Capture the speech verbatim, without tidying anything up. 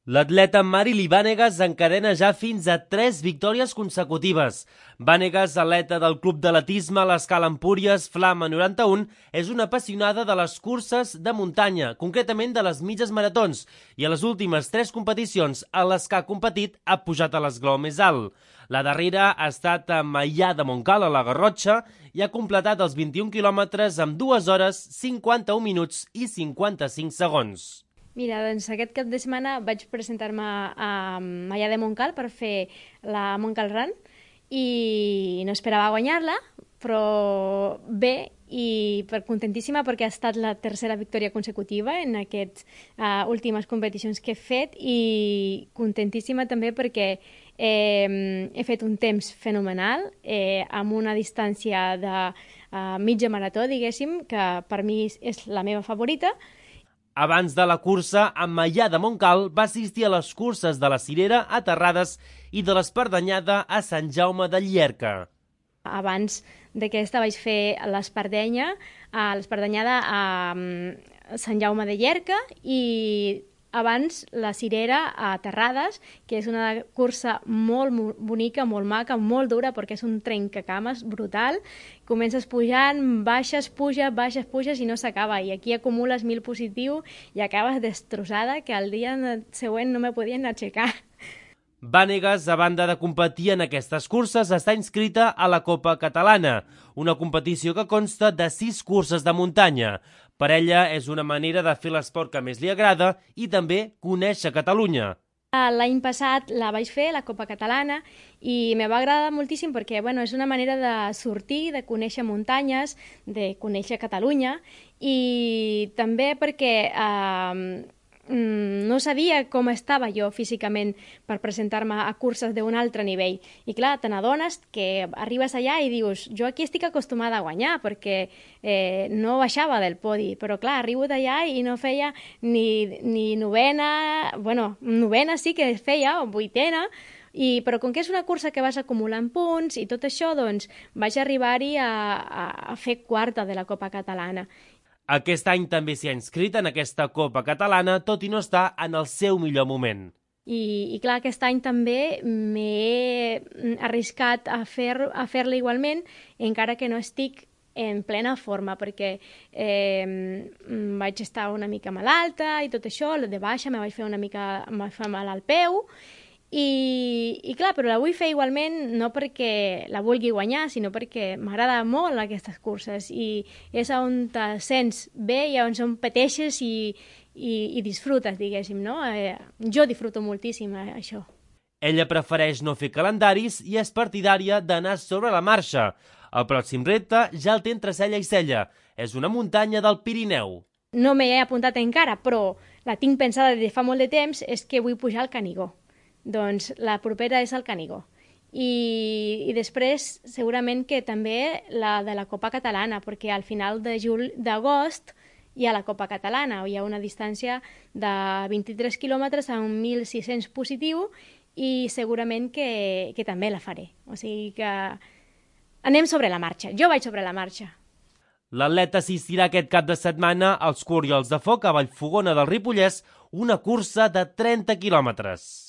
L'atleta Marily Vanegas encadena ja fins a tres victòries consecutives. Vanegas, atleta del Club d'Atletisme a l'Escala Empúries Flama noranta-u, és una apassionada de les curses de muntanya, concretament de les mitges maratons, i a les últimes tres competicions a les que ha competit ha pujat a l'esglaó més alt. La darrera ha estat a Maià de Montcal, a la Garrotxa, i ha completat els vint-i-un quilòmetres amb dues hores, cinquanta-un minuts i cinquanta-cinc segons. Mira, doncs aquest cap de setmana vaig presentar-me a Maià de Montcal per fer la Montcal Run i no esperava guanyar-la, però bé, i per contentíssima perquè ha estat la tercera victòria consecutiva en aquestes uh, últimes competicions que he fet, i contentíssima també perquè eh, he fet un temps fenomenal eh, amb una distància de uh, mitja marató, diguéssim, que per mi és la meva favorita. Abans de la cursa, en Maià de Montcal va assistir a les curses de la Cirera a Terrades i de l'Espardanyada a Sant Jaume de Llierca. Abans d'aquesta vaig fer l'Espardenya, a l'Espardanyada a Sant Jaume de Llierca, i abans la Cirera a Terrades, que és una cursa molt bonica, molt maca, molt dura, perquè és un trencacames brutal. Comences pujant, baixes, puja, baixes, puges i no s'acaba. I aquí acumules mil positiu i acabes destrossada, que el dia següent no me podien aixecar. Vanegas, a banda de competir en aquestes curses, està inscrita a la Copa Catalana, una competició que consta de sis curses de muntanya. Per ella és una manera de fer l'esport que més li agrada i també conèixer Catalunya. L'any passat la vaig fer, la Copa Catalana, i me va agradar moltíssim perquè bueno, és una manera de sortir, de conèixer muntanyes, de conèixer Catalunya, i també perquè eh, no sabia com estava jo físicament per presentar-me a curses d'un altre nivell. I clar, te n'adones que arribes allà i dius, jo aquí estic acostumada a guanyar perquè eh, no baixava del podi, però clar, arribo d'allà i no feia ni, ni novena, bueno, novena sí que feia, o vuitena, I, però com que és una cursa que vas acumulant punts i tot això, doncs vaig arribar-hi a, a, a fer quarta de la Copa Catalana. Aquest any també s'hi ha inscrit en aquesta Copa Catalana, tot i no està en el seu millor moment. I, i clar, aquest any també m'he arriscat a fer- a fer-la igualment, encara que no estic en plena forma, perquè eh, vaig estar una mica malalta i tot això, de baixa me vaig fer una mica em va fer mal al peu, I, i clar, però la vull fer igualment no perquè la vulgui guanyar, sinó perquè m'agrada molt aquestes curses i és on te sents bé i on competeixes i, i, i disfrutes, diguéssim, no? Eh, jo disfruto moltíssim eh, això. Ella prefereix no fer calendaris i és partidària d'anar sobre la marxa. El pròxim repte ja el té entre cella i cella. És una muntanya del Pirineu. No m'he apuntat encara, però la tinc pensada de fa molt de temps, és que vull pujar al Canigó. Doncs la propera és el Canigó. I, i després segurament que també la de la Copa Catalana, perquè al final de jul d'agost hi ha la Copa Catalana, hi ha una distància de vint-i-tres quilòmetres a mil sis-cents positiu i segurament que, que també la faré. O sigui que anem sobre la marxa. Jo vaig sobre la marxa. L'atleta assistirà aquest cap de setmana als Corriols de Foc a Vallfogona del Ripollès, una cursa de trenta quilòmetres.